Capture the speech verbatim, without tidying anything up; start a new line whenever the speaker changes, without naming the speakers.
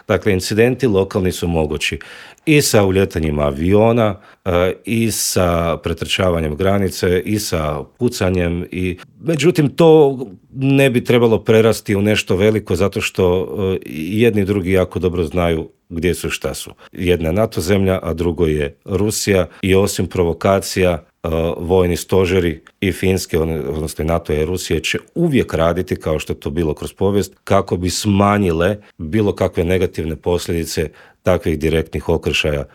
Dakle, incidenti lokalni su mogući i sa uljetanjima aviona, i sa pretrčavanjem granice, i sa pucanjem. I... Međutim, to ne bi trebalo prerasti u nešto veliko, zato što jedni i drugi jako dobro znaju gdje su i šta su. Jedna je NATO zemlja, a drugo je Rusija, i osim provokacija, vojni stožeri i Finske, odnosno NATO i Rusije, će uvijek raditi, kao što je to bilo kroz povijest, kako bi smanjile bilo kakve negativne posljedice takvih direktnih okršaja